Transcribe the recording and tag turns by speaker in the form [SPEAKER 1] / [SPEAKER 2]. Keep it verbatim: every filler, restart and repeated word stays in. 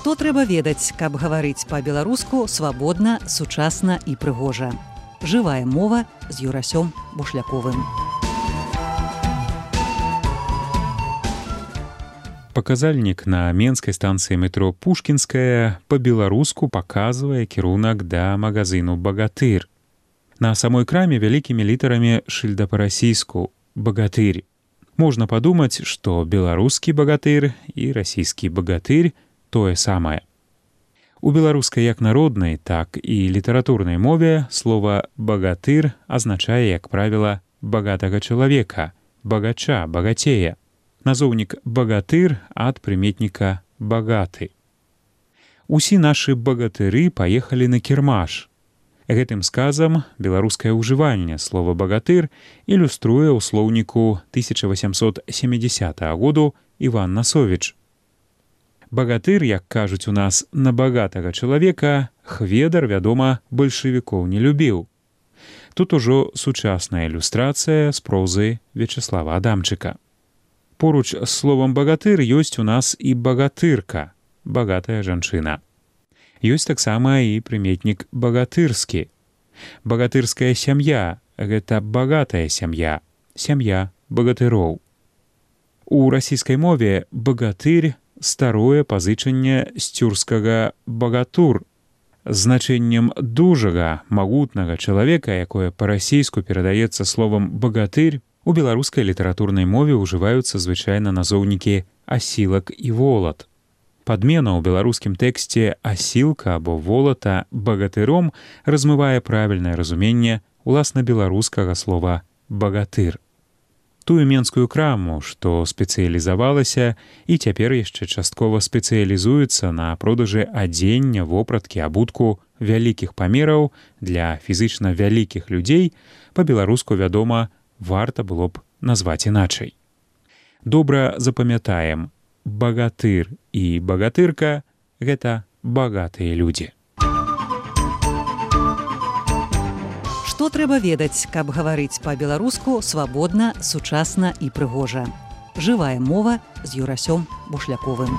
[SPEAKER 1] Што трэба ведаць, каб гаварыць па-беларуску свабодна, сучасна і прыгожа. Жывая мова з Юрасём Бушляковым.
[SPEAKER 2] Паказальнік на менскай станцыі метро Пушкінская па-беларуску паказвае кірунак да магазыну «Багатыр». На самой краме вялікімі літарамі шыльда па-расійску «Багатырь». Можна падумаць, што беларускі багатыр і расійскі багатырь тое самае. У беларускай як народнай, так і літаратурнай мове слова «багатыр» азначае, як правіла, багатага чалавека, багача, багацея. Назоўнік «багатыр» ад прыметніка «багаты». Усі нашы багатыры паехалі на кірмаш. Гэтым сказам беларускае ўжыванне слова «багатыр» ілюструе ў слоўніку тысяча васямсот сямідзясятага году Іван Насовіч. Багатыр, як кажуць у нас, на багатага чалавека, Хведар, вядома, бальшавікоў не любіў. Тут ужо сучасная ілюстрацыя з прозы Вячаслава Адамчыка. Поруч з словам «багатыр» ёсць у нас і багатырка, багатая жанчына. Ёсць таксама і прыметнік «багатырскі». Багатырская сям'я – гэта багатая сям'я, сям'я багатыроў. У расійскай мове «багатырь» старое пазычанне з цюркскага «багатур». Значэннем дужага, магутнага чалавека, якое па-расійску перадаецца словам «багатырь», у беларускай літаратурнай мове ўжываюцца звычайна назоўнікі «асілак» і «волат». Падмена ў беларускім тэксце «асілка» або «волата» багатыром размывае правільнае разуменне уласна беларускага слова «багатыр». Тую менскую краму, што спецыялізавалася і цяпер яшчэ часткова спецыялізуецца на продажы адзення, вопраткі, абутку вялікіх памераў для фізычна вялікіх людзей, па-беларуску, вядома, варта было б назваць іначай. Добра запамятаем, багатыр і багатырка – гэта багатыя людзі.
[SPEAKER 1] Што трэба ведаць, каб гаварыць па-беларуску свабодна, сучасна і прыгожа. Жывая мова з Юрасём Бушляковым.